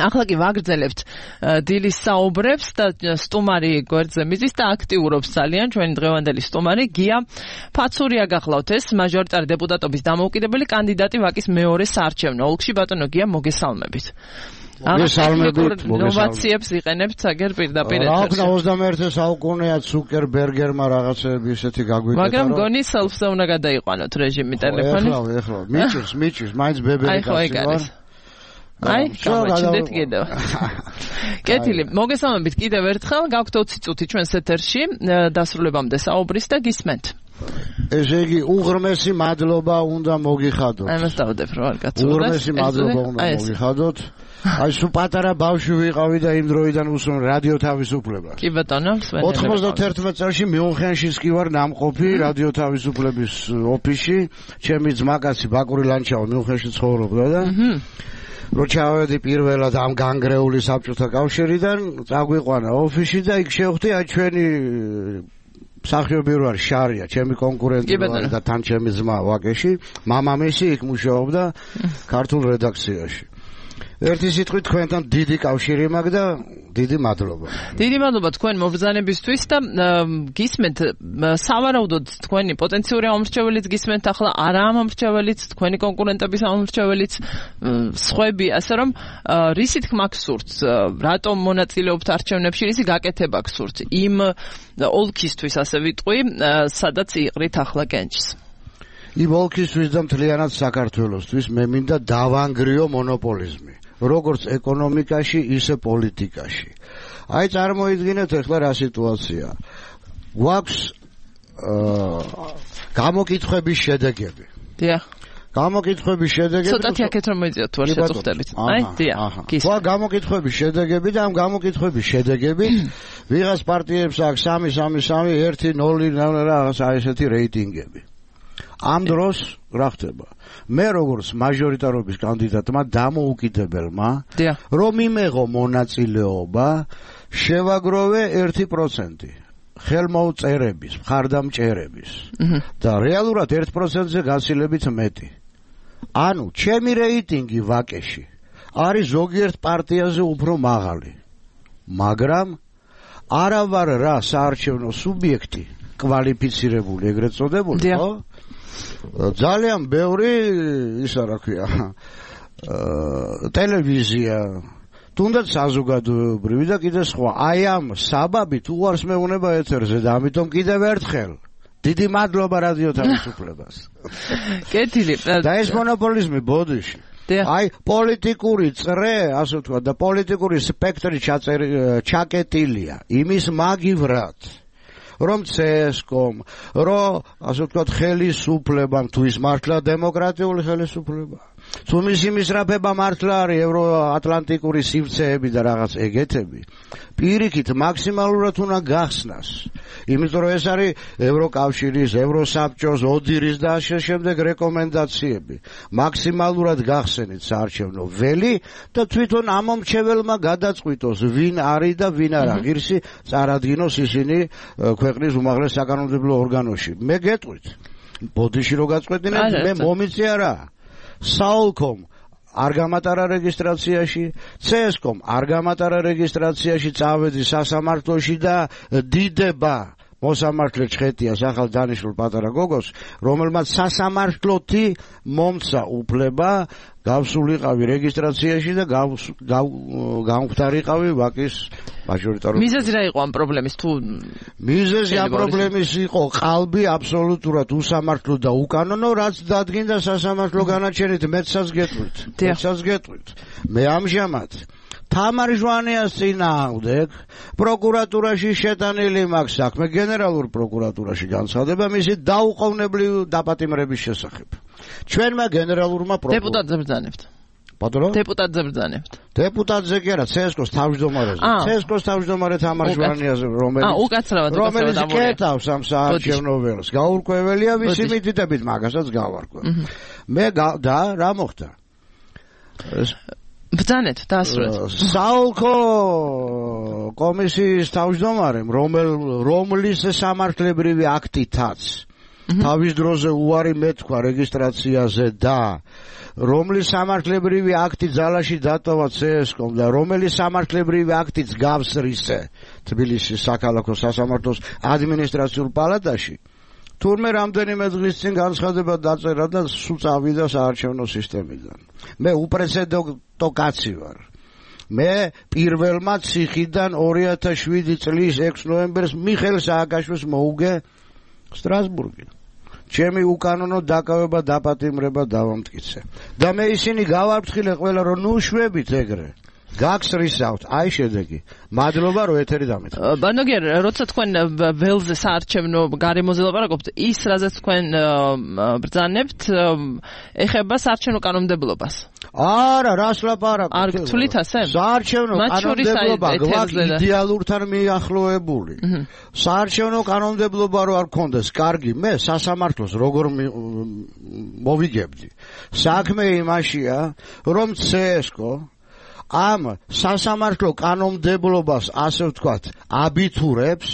ახლა კი ვაგრძელებთ დილის საუბრებს და სტუმარი გვერდზე მიზის და აქტიურობს ძალიან ჩვენი დღევანდელი სტუმარი გია ფაცურია გახლავთ ეს მაჟორიტარი დეპუტატობის დამოუკიდებელი კანდიდატი ვაკის მეორე საარჩევნო ოლქში ბატონო გია მოგესალმებით მოგესალმებით ნოვაციებს იყენებთ აგერ პირდაპირ ეთერში რა ვქნა 21 საუკუნეა ცუკერბერგერმა რაღაცები ისეთი გაგვიკეთა მაგრამ გონი self-ზე უნდა გადაიყვანოთ რეჟიმი ტელეფონის ეხლა მიჭირს მაინც ბებერი კაცი ვარ აი, გამოჩნდეთ კიდევ. კეთილი, მოგესალმებით კიდევ ერთხელ, გაქვთ 20 წუთი ჩვენს ეთერში, დასრულებამდე საუბრის და გისმენთ. ესე იგი, უღრმესი მადლობა უნდა მოგიხადოთ. აი, მას დავდებ რა არ კაცო. უღრმესი მადლობა უნდა მოგიხადოთ. აი, სულ პატარა ბავშვი ვიყავი და იმ დროიდან უსვენ რადიო თავისუფლებას. კი ბატონო, სვენელი. 91 წელს მიუნხენშიც კი ვარ ნამყოფი რადიო თავისუფლების ოფისში, ჩემი ძმაკაცი ბაკური ლანჩაო მიუნხენში ცხოვრობდა და რო ჩავედი პირველად ამ განგრეული საბჭოთა კავშირიდან, წაგვიყვანა ოფისში და იქ შევხვდი აი ჩვენი მსახიობი რო არის შარია, ჩემი კონკურენტი რო არის და თან ჩემი ძმა ვაკეში, მამამისი იქ მუშაობდა ქართულ რედაქციაში. ერთი სიტყვით თქვენთან დიდი კავშირი მაქვს და დიდი მადლობა. დიდი მადლობა თქვენ მობრძანებისთვის და გისმენთ სავარაუდოდ თქვენი პოტენციური ამომრჩეველიც გისმენთ ახლა არა ამომრჩეველიც თქვენი კონკურენტების ამომრჩეველიც სხვები ასე რომ რისი თქმა გსურთ რატომ მონაწილეობთ არჩევნებში რისი გაკეთება გსურთ იმ ოლქისთვის ასე ვიტყვი სადაც იყრით ახლა კენჭს იმ ოლქისთვის და მთლიანად საქართველოსთვის მე მინდა დავანგრიო მონოპოლიზმი როგორც ეკონომიკაში, ისე პოლიტიკაში. აი წარმოიდგინეთ ახლა რა სიტუაცია. გვაქვს გამოკითხვების შედეგები. დიახ. გამოკითხვების შედეგები. ცოტათი აქეთ რომ მოიძიოთ თუ არ შეწუხდებით. აი, დიახ. გვაქვს გამოკითხვების შედეგები და ამ გამოკითხვების შედეგებით ვიღაც პარტიებს აქვს 3-3-3, 1-0 რაღაცა ესეთი რეიტინგები. ამ დროს რა ხდება? მე როგორც მაჟორიტარობის კანდიდატმა დამოუკიდებელმა რომ იმეღო მონაწილეობა შევაგროვე 1% ხელმოუწერების, მხარდამჭერების და რეალურად 1%-ზე გაცილებით მეტი. ანუ ჩემი რეიტინგი ვაკეში არის ზოგიერთ პარტიაზე უფრო მაღალი. მაგრამ არა ვარ რა საარჩევნო სუბიექტი, კვალიფიცირებული ეგრეთ წოდებული, ხო? ძალიან ბევრი ისა რა ქვია ტელევიზია თუნდაც საზოგადოებრივი და კიდე სხვა აი ამ საბაბით უარს მეუნება ეთერზე და ამიტომ კიდევ ერთხელ დიდი მადლობა რადიო თავისუფლებას კეთილი და ეს მონოპოლიზმი ბოდიში აი პოლიტიკური წრე ასე ვთქვა და პოლიტიკური სპექტრი ჩაკეტილია იმის მაგივრად რომ CSKOM, რომ ასე ვთქვათ ხელისუფლებამ თუ ის მართლა დემოკრატიული ხელისუფლება. თუ მისი მისწრაფება მართლა არის ევროატლანტიკური სივრცეები და რაღაც ეგეთები, პირიქით მაქსიმალურად უნდა გახსნას. იმიტომ რომ ეს არის ევროკავშირის, ევროსაბჭოს, ოდირის და ასე შემდეგ რეკომენდაციები. მაქსიმალურად გახსენით საარჩევნო ველი და თვითონ ამომრჩეველმა გადაწყვიტოს ვინ არის და ვინ არა. ღირსი წარადგინოს ისინი ქვეყნის უმაღლეს საკანონმდებლო ორგანოში. მე გეტყვით. ბოდიში რო გაწყვეტინეთ, მე მომიწია რა. SAOLCOM არ გამატარა რეგისტრაციაში, CSKOM არ გამატარა რეგისტრაციაში, წავედი სასამართლოში და დიდება მოსამართლე ჩხეტიას ახალ დანიშნულ პატარა გოგოს, რომელმაც სასამართლოთი მომცა უფლება გავსულიყავი რეგისტრაციაში და გამختارიყავი ვაკის მაჟორიტარობის. მიზეზი რა იყო ამ პრობლემის თუ მიზეზი ამ პრობლემის იყო ყალბი აბსოლუტურად უსამართლო და უკანონო, რაც დადგინდა სასამართლო განაჩენით, მეცაც გეტყვით. მე ამჟამად თამარ ჟვანიას წინააღმდეგ პროკურატურაში შეტანილი მაქვს საქმე, გენერალურ პროკურატურაში განცხადება მისი დაუყოვნებლივ დაპატიმრების შესახებ. ჩვენმა გენერალურმა დეპუტატზე ბრძანებთ. ბატონო? დეპუტატზე ბრძანებთ. დეპუტატზე კი არა, CSKOS თავმჯდომარეზე. CSKOS თავმჯდომარე თამარ ჟვანიაზე, რომელიც კეთავს ამ საარჩევნო ველს. გაურკვეველია ვისი მითითებით მაგასაც გავარკვევ. მე და რა მოხდა? ბრძანეთ დაასრულეთ. SAOLCO კომისიის თავმჯდომარემ, რომლის სამართლებრივი აქტითაც თავის დროზე უარი მეთქვა რეგისტრაციაზე და რომლის სამართლებრივი აქტი ძალაში დატოვა CSKOM და რომელი სამართლებრივი აქტიც გავს რისე თბილისის საქალაქო სასამართლოს ადმინისტრაციულ პალატაში თურმე რამდენიმე დღის წინ განცხადება დაწერა და სულ წავიდა საარჩევნო სისტემიდან. მე უპრეცედენტო კაცი ვარ. მე პირველმა ციხიდან 2007 წლის 6 ნოემბერს მიხეილ სააკაშვილს მოუგე სტრასბურგი. ჩემი უკანონო დაკავება დაპატიმრება დავამტკიცე. და მე ისინი გავარფრთხილე ყველა რომ ნუ შვებით ეგრე. გაგსრისავთ, აი შედეგი. მადლობა რომ ეთერი დამეწყეთ. ბანოგერ, როცა თქვენ ველზე საარჩევნო გარემოზე ლაპარაკობთ, ის რაზეც თქვენ ბრძანებთ, ეხება საარჩევნო კანონმდებლობას. არა, რას ლაპარაკობთ? არ გთვლით ასე? საარჩევნო კანონმდებლობა გვაქვს იდეალურთან მიახლოებული. საარჩევნო კანონმდებლობა რო არ გქონდეს, კარგი, მე სასამართლოს როგორ მოვიგებდი. საქმე იმაშია, რომ CSKO ამ სასამართლო კანონმდებლობას ასე ვთქვათ აბიტურებს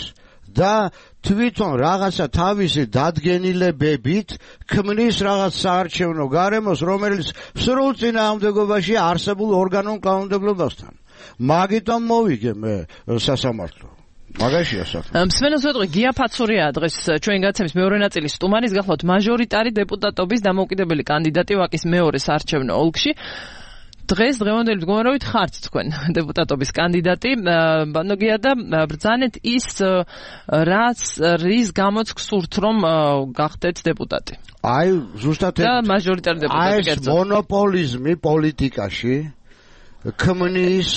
და თვითონ რაღაცა თავისი დადგენილებებით ქმნის რაღაც საარჩევნო გარემოს რომელიც სრულ წინააღმდეგობაში არსებულ ორგანულ კანონმდებლობასთან მაგიტომ მოვიგე მე სასამართლო მაგაშია საქმე. მსმენელს ვეტყვი გია ფაცურია დღეს ჩვენ გაცემის მეორე ნაწილის სტუმარის გახლავთ მაჟორიტარი დეპუტატობის დამოუკიდებელი კანდიდატი ვაკის მეორე საარჩევნო ოლქში. დღეს დღევანდელი მდგომარეობით ხართ თქვენ დეპუტატობის კანდიდატი ბანოგია და ბრძანეთ ის რის გამოც გსურთ რომ გახდეთ დეპუტატი. აი ზუსტად და მაჟორიტარი დეპუტატი ეს მონოპოლიზმი პოლიტიკაში ქმნის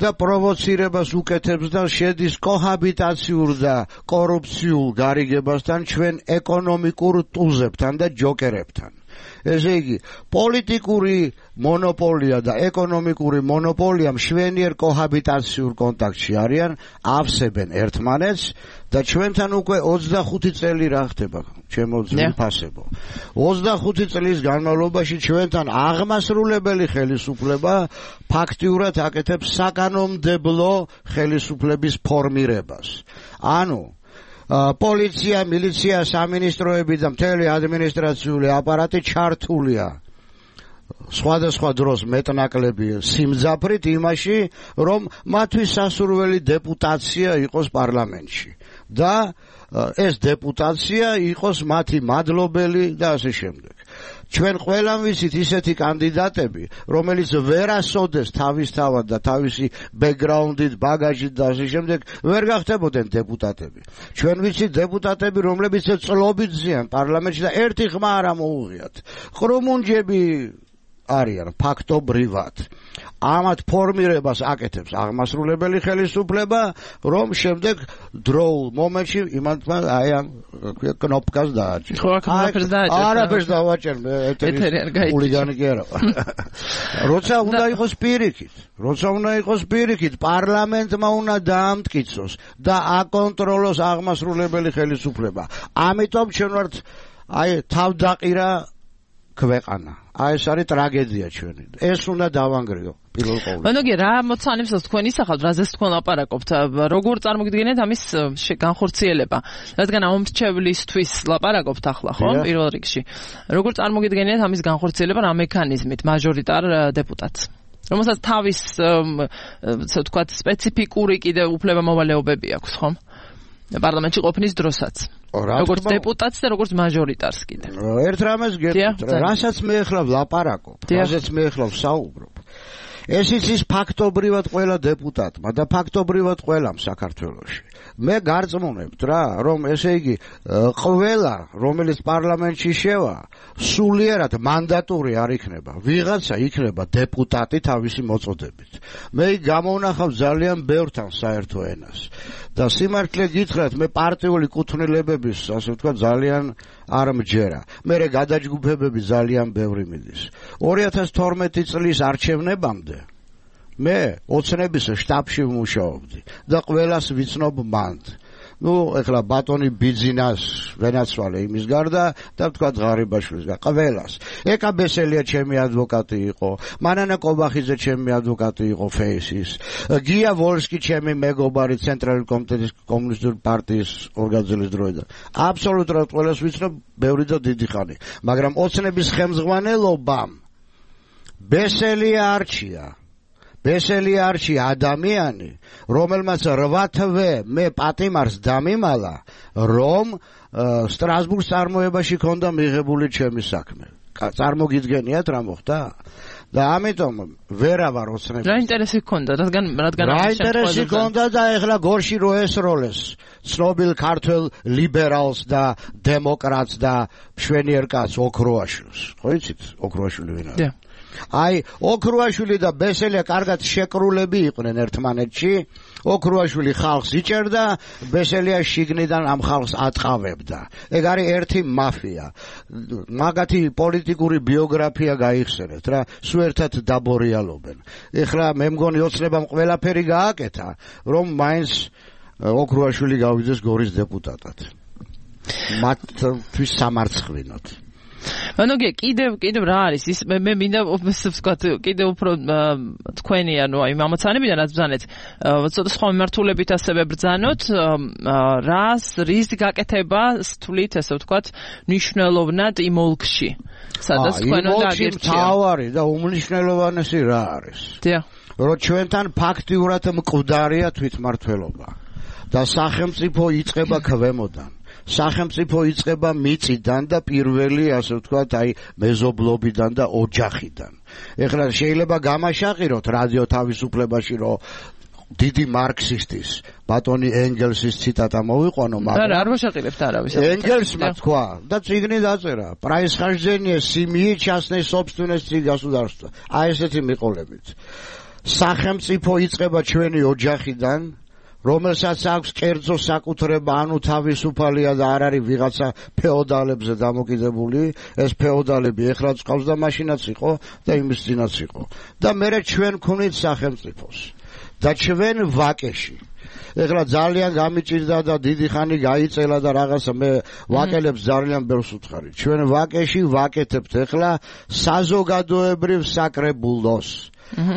და პროვოცირებას უკეთებს და შედის კოჰაბიტაციურ და კორუფციულ გარიგებასთან ჩვენ ეკონომიკურ ტუზებთან და ჯოკერებთან. ესე იგი, პოლიტიკური მონოპოლია და ეკონომიკური მონოპოლია მშვენიერ კოჰაბიტაციურ კონტაქტში არიან, ავსებენ ერთმანეთს და ჩვენთან უკვე 25 წელი რა ხდება, ჩემო ძვირფასებო. 25 წლის განმავლობაში ჩვენთან აღმასრულებელი ხელისუფლება ფაქტიურად აკეთებს საკანონმდებლო ხელისუფლების ფორმირებას. ანუ პოლიცია, მილიცია, სამინისტროები და მთელი ადმინისტრაციული აპარატი ჩართულია სხვადასხვა დროს მეტნაკლები სიმძაფრით იმაში, რომ მათთვის სასურველი დეპუტაცია იყოს პარლამენტში და ეს დეპუტაცია იყოს მათი მადლობელი და ასე შემდეგ. ჩვენ ყველამ ვიცით ისეთი კანდიდატები, რომელიც ვერასოდეს თავისთავად და თავისი ბექგრაუნდით, ბაგაჟით და ასე შემდეგ ვერ გახდებოდნენ დეპუტატები. ჩვენ ვიცით დეპუტატები, რომლებიც წლობით ზიან პარლამენტში და ერთი ხმა არ მოუღიათ. ყრუმუნჯები არიან ფაქტობრივად. ამათ ფორმირებას აკეთებს აღმასრულებელი ხელისუფლება, რომ შემდეგ დროულ მომენტში იმათმა აი ამ კნოპკას დააჭირა. ხო, აქ არაფერს დავაჭერ, მე ეთერი ულიგანი კი არა. როცა უნდა იყოს პირიქით, პარლამენტმა უნდა დაამტკიცოს და აკონტროლოს აღმასრულებელი ხელისუფლება. ამიტომ ჩვენ ვართ აი თავდაყირა ქვეყანა. აი ეს არის ტრაგედია ჩვენი. ეს უნდა დავანგრიო პირველ ყოვლისა. ბანოგი რა მოცანებს თქვენ ისახავთ, რაზეც თქვენ ლაპარაკობთ, როგორ წარმოგიდგენთ ამის განხორციელება? რადგან ამომრჩევლისთვის ლაპარაკობთ ახლა, ხო? პირველ რიგში. როგორ წარმოგიდგენთ ამის განხორციელება რა მექანიზმით მაჟორიტარ დეპუტატს? რომელსაც თავის ვთქვათ სპეციფიკური კიდე უფლება-მოვალეობები აქვს, ხო? პარლამენტში ყოფნის დროსაც. როგორც დეპუტატს და როგორც მაჟორიტარს კიდე. ერთ რამეს გეტყვით, რასაც მე ახლა ვლაპარაკობ, რასაც მე ახლა ვსაუბრობ. ეს ის ფაქტობრივად ყველა დეპუტატმა და ფაქტობრივად ყველამ საქართველოში. მე გარწმუნებთ რა, რომ ესე იგი ყველა, რომელიც პარლამენტში შევა, სულიერად მანდატური არ იქნება. ვიღაცა იქნება დეპუტატი თავისი მოწოდებით. მე გამოვნახავ ძალიან ბევრთან საერთო ენას. და სიმართლე გითხრათ, მე პარტიული კუთვნილებების, ასე ვთქვათ, ძალიან არ მჯერა. მე გადაჯგუფებები ძალიან ბევრი მიდის. 2012 წლის არჩევნებამდე მე ოცნების შტაბში ვმუშაობდი და ყველას ვიცნობ მანდ. ეხლა ბატონი ბიძინას ვენაცვალე იმის გარდა და ვთქვათ ღარიბაშვილის გარდა ყველას. ეკა ბესელია ჩემი ადვოკატი იყო, მანანა კობახიძე ჩემი ადვოკატი იყო ფეისის, გია ვოლსკი ჩემი მეგობარი ცენტრალური კომიტეტის კომუნისტური პარტიის ორგანიზების დროიდან. აბსოლუტურად ყველას ვიცნობ ბევრი და დიდი ხანი, მაგრამ ოცნების ხელმძღვანელობამ ბესელი არჩია ადამიანი, რომელმაც 8 თვე მე პატიმარს დამიმალა, რომ სტრასბურგს წარმოებაში ქონდა მიღებული ჩემი საქმე. წარმოგიდგენიათ რა მოხდა? და ამიტომ ვერავარ ოცნებს. რა ინტერესი გქონდა, რადგან რა ინტერესი გქონდა და ეხლა გორში რო ესროლეს ცნობილ ქართველ ლიბერალს და დემოკრატს და მშვენიერ კაცს ოქროაშვილს. ხო იცით ოქროაშვილი ვინ არის? აი ოქროაშვილი და ბესელია კარგად შეკრულები იყვნენ ერთმანეთში. ოქროაშვილი ხალხს იჭერდა, ბესელია შიგნიდან ამ ხალხს ატყავებდა. ეგ არის ერთი მაფია. მაგათი პოლიტიკური ბიოგრაფია გაიხსენეთ რა, სულ ერთად დაბორიალობენ. ეხლა მე მგონი ოცნებამ ყველაფერი გააკეთა, რომ მაინც ოქროაშვილი გავიდეს გორის დეპუტატად. მათთვის სამარცხვინოთ. ანუ კიდევ რა არის ის მე მინდა ვთქვათ კიდევ უფრო თქვენი ანუ აი მამაცანებიდან რაც ბრძანეთ ცოტა სხვა მიმართულებით ასევე ბრძანოთ რის გაკეთება თვლით ესე ვთქვათ მნიშვნელოვნად იმ ოლქში სადაც თქვენ უნდა აგერჩიოთ თავარი და უმნიშვნელოვანესი რა არის რომ ჩვენთან ფაქტიურად მკვდარია თვითმმართველობა და სახელმწიფო იწყება ქვემოდან სახელმწიფო იწყება მიწიდან და პირველი ასე ვთქვათ აი მეზობლობიდან და ოჯახიდან. ეხლა შეიძლება გამაშაყიროთ რადიო თავისუფლებაში რომ დიდი მარქსისტის ბატონი ენგელსის ციტატა მოვიყვანო მაგრამ არ ვაშაყირებთ არავის ენგელსმა თქვა და წიგნი დაწერა происхождение семьи частной собственности государства აი ესეთი მიყოლებით სახელმწიფო იწყება ჩვენი ოჯახიდან რომელსაც აქვს კერძო საკუთრება, ანუ თავისუფალია და არ არის ვიღაცა ფეოდალებზე დამოკიდებული, ეს ფეოდალები ეხლა წავს და მაშინაც იყო და იმის წინაც იყო. და მერე ჩვენ ვქონით სახელმწიფოს და ჩვენ ვაკეში. ეხლა ძალიან გამიჭირდა და დიდი ხანი გაიწელა და რაღაცა მე ვაკელებს ძალიან ბევრს უთხარი. ჩვენ ვაკეში ვაკეთებთ ეხლა საზოგადოებრივ საკრებულოს.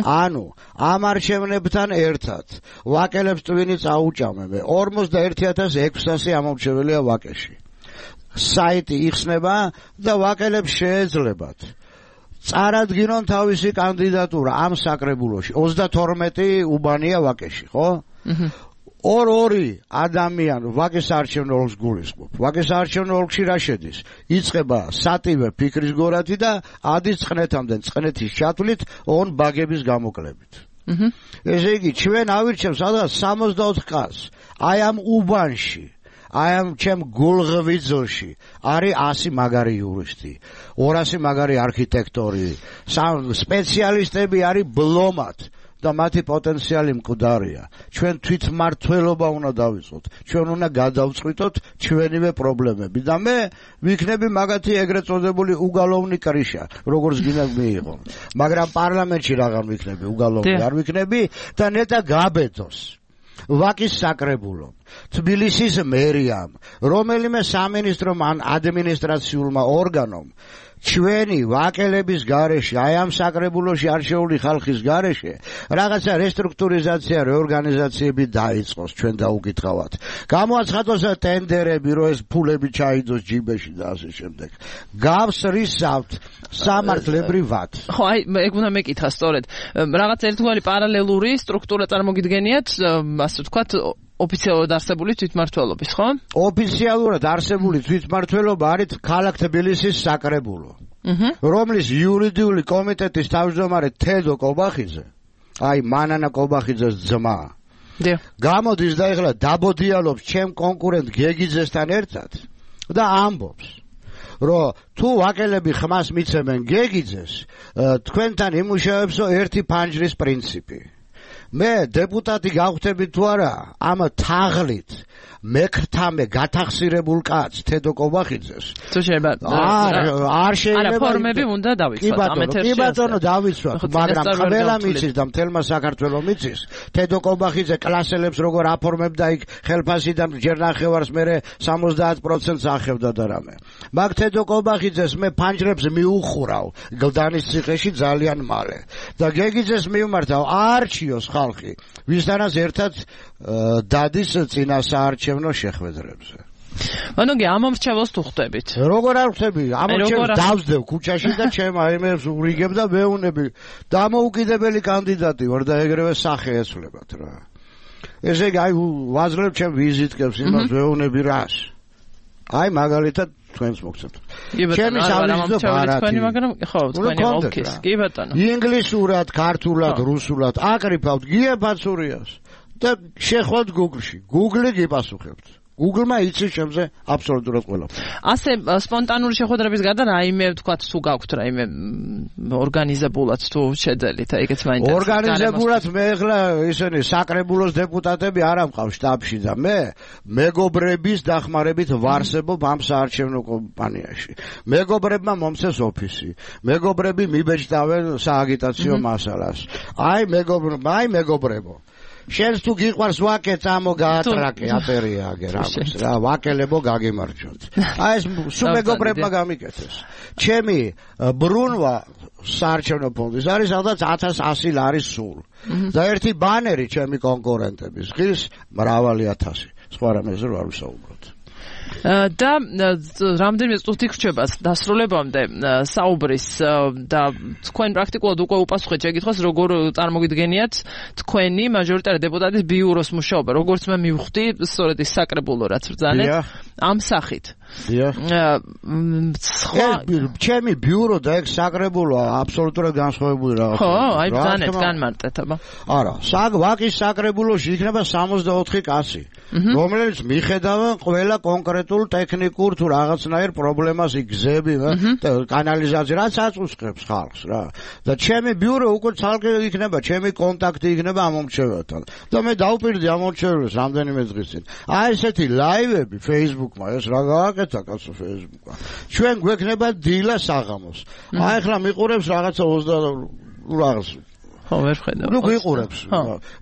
ანუ ამ არჩევნებთან ერთად ვაკელებს ტვინი წაუჭამე 41600 ამომრჩეველია ვაკეში საიტი იხსნება და ვაკელებს შეეძლებათ წარადგინონ თავისი კანდიდატურა ამ საკრებულოში 32 უბანია ვაკეში ხო ორ-ორი ადამიანი ვაკეს არჩევნო ოლქს გულისხმობ. ვაკეს არჩევნო ოლქში რა შედის? იწყება სატივე ფიქრის გორათი და ადის წყნეთამდე წყნეთის ჩათვლით ონ ბაგების გამოკლებით. ესე იგი ჩვენ ავირჩევთ სადღაც 64 კაცს. აი ამ უბანში, აი ამ ჩემ გულღვიძლში არის 100 მაგარი იურისტი, 200 მაგარი არქიტექტორი, სპეციალისტები არის ბლომად. და მათი პოტენციალი მკვდარია. ჩვენ თვითმმართველობა უნდა დავიწყოთ. ჩვენ უნდა გადავწყვიტოთ ჩვენივე პრობლემები და მე ვიქნები მაგათი ეგრეთ წოდებული უგალოვნი კრიშა, როგორც გინდა მიიღო. მაგრამ პარლამენტში რაღაც ვიქნები, უგალოვნი არ ვიქნები და ნეტა გაბედოს. ვაკის საკრებულო, თბილისის მერიამ, რომელიმე სამინისტრომ ან ადმინისტრაციულმა ორგანომ ჩვენი ვაკელების გარეშე, აი ამ საკრებულოში არჩეული ხალხის გარეშე, რაღაცა რესტრუქტურიზაცია, რეორგანიზაციები დაიწყოს, ჩვენ დაუკითხავთ. გამოაცხადოს ტენდერები, რომ ეს ფულები ჩაიდოს ჯიბეში და ასე შემდეგ. გავსრისავთ სამართლებრივად. ხო, აი, ეგ უნდა მეკითხა სწორედ. რაღაც ერთგვარი პარალელური სტრუქტურა წარმოგიდგენიათ, ასე ვთქვათ, ოფიციალურად არსებული თვითმმართველობის, ხო? ოფიციალურად არსებული თვითმმართველობა არის ქალაქ თბილისის საკრებულო. რომლის იურიდიული კომიტეტის თავმჯდომარე თედო კობახიძე, აი მანანა კობახიძეს ძმა. გამოდის და ეხლა დაბოდიალობს ჩემ კონკურენტ გეგიძესთან ერთად და ამბობს რომ თუ ვაკელები ხმას მიცემენ გეგიძეს, თქვენთან იმუშავებსო ერთი ფანჯრის პრინციპი. მე დეპუტატი გავხდები თუ არა ამ თაღლით მეკრთამე გათახსირებულ კაცს თედო კობახიძეს თუ შეიძლება არ შეიძლება არა ფორმები უნდა დავიცვათ ამ ეთერში კი ბატონო დავიცვათ მაგრამ ყველა მიცის და მთელმა საქართველოს მიცის თედო კობახიძე კლასელებს როგორ აფორმებდა იქ ხელფასიდან ჯერ ნახევარს მე 70%-ს ახევდა და რამე მაგ თედო კობახიძეს მე ფანჯრებს მიუხურავ გლდანის ციხეში ძალიან მალე და გეგიძეს მივმართავ არჩიოს ხალხი ვისთანაც ერთად დადის წინასაარჩევნო შეხვედრებზე ანუ ამ მომრჩეველს თუ ხვდებით? როგორ არ ხვდები? ამ მომრჩეველს დავსდევ ქუჩაში და ჩემ აიმებს ურიგებ და მეუნები. დამოუკიდებელი კანდიდატი ვარ და ეგრევე სახე ეცვლებათ რა. ესე იგი, აი ვაძლევ ჩემ ვიზიტკებს იმას მეუნები რას. აი მაგალითად თქვენს მოგცემთ. ჩემი სამიზნე ბარათი, მაგრამ ხო, თქვენი ოლქის. კი ბატონო. ინგლისურად, ქართულად, რუსულად აკრიფავთ გიებაცურიას და შეხვალთ Google-ში. Google გიპასუხებთ. Google-მა იცის ჩემზე აბსოლუტურად ყველაფერს. ასე სპონტანური შეხვედრების გარდა რაიმე თქვა თუ გაქვთ რაიმე ორგანიზებულად თუ შეძელით, ეგეც მაინტერესებს. ორგანიზებულად მე ახლა ისინი საკრებულოს დეპუტატები არ ამყავ შტაბში და მე მეგობრების დახმარებით ვარსებობ ამ საარჩევნო კომპანიაში. მეგობრებმა მომცეს ოფისი. მეგობრები მიბეჭდავენ სააგიტაციო მასალას. აი მეგობრებო. შენს თუ გიყვარს ვაკე წამო გაატრაკე აფერია აგე რაღაც რა ვაკელებო გაგიმარჯვოთ. აი ეს სულ მეგობრებმა გამიკეთეს. ჩემი ბრუნვა საარჩევნო ფონდის არის სადაც 1100 ლარის სულ. და ერთი ბანერი ჩემი კონკურენტების ღირს მრავალი ათასი. სხვა რამეზე არ ვისაუბროთ. და რამდენიმე წუთი გრჩება დასრულებამდე საუბრის და თქვენ პრაქტიკულად უკვე უპასუხეთ შეკითხვას როგორ წარმოგიდგენიათ თქვენი მაჟორიტარი დეპუტატის ბიუროს მუშაობა როგორც მე მივხვდი სწორედ ის საკრებულო რაც ბრძანეთ ამ სახით ჩემი ბიურო და ეგ საკრებულო აბსოლუტურად განსხვავებული რაღაცა ხო აი ბრძანეთ განმარტეთ აბა არა ვაკის საკრებულოში იქნება 64 კაცი რომელიც მიხედავენ ყველა კონკრეტულ ტექნიკურ თუ რაღაცნაირ პრობლემას იგზები და კანალიზაცია რაც აწუხებს ხალხს რა და ჩემი ბიურო უკვე ცალკე იქნება ჩემი კონტაქტი იქნება ამ მომრჩეველთან და მე დავპირდი ამ მომრჩეველს რამდენიმე დღის წინ აი ესეთი ლაივები Facebook-მა ეს რა გააკეთა კაცო Facebook-მა ჩვენ გვექნება დილა საღამოს აი ახლა მიყურებს რაღაცა 20 რაღაც ხო ვერ ხედავ. ნუ გიყურებს.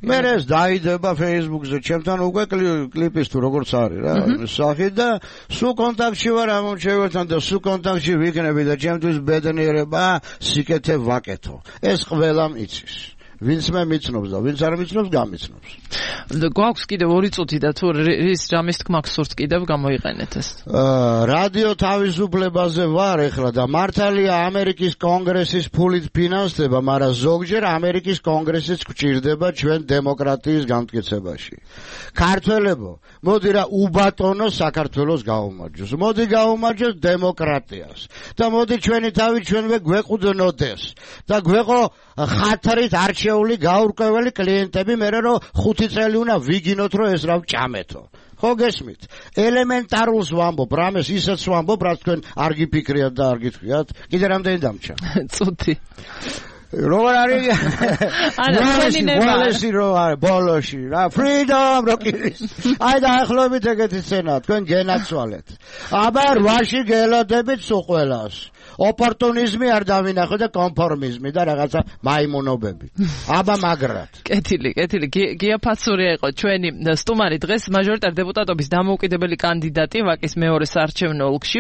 მე ეს დაიდება Facebook-ზე, ჩემთან უკვე კლიპის თუ როგორც არის რა, სახი და სულ კონტაქტში ვარ ამ მომრჩეველთან და სულ კონტაქტში ვიქნები და ჩემთვის ბედნიერება სიკეთე ვაკეთო. ეს ყველამ იცის. ვინც მე მიცნობს და ვინც არ მიცნობს გამიცნობს. გვაქვს კიდევ 2 წუთი და თუ რის ჯამის თქმა გსურთ კიდევ გამოიყენეთ ეს. რადიო თავისუფლებაზე ვარ ეხლა და მართალია ამერიკის კონგრესის ფულით ფინანსდება, მაგრამ ზოგჯერ ამერიკის კონგრესიც გვჭირდება ჩვენ დემოკრატიის განმტკიცებაში. ქართველებო, მოდი რა უბატონო საქართველოს გაუმარჯოს. მოდი გაუმარჯოს დემოკრატიას. და მოდი ჩვენი თავი ჩვენვე გვეყუდნოდეს და გვეყო ხათრით არჩეული გაურკვეველი კლიენტები მე რომ 5 წელი უნდა ვიგინოთ რომ ეს რა ვჭამეთო ხო გესმით ელემენტარულს ვამბობ რამეს ისეც ვამბობ რაც თქვენ არ გიფიქრიათ და არ გითხრიათ კიდე რამდენი დამჭა წუთი როგორ არის ბოლოში რო არის ბოლოში რა freedom როკის აი და ახლობით ეგეთი სცენა თქვენ გენაცვალეთ აბა 8-ში გელოდებით სულ ყველას ოპორტუნიზმი არ დავინახო და კონფორმიზმი და რაღაცა მაიმუნობები. აბა მაგრად. კეთილი. გია ფაცურია იყო ჩვენი სტუმარი დღეს მაჟორიტარ დეპუტატობის დამოუკიდებელი კანდიდატი ვაკის მეორე საარჩევნო ოლქში.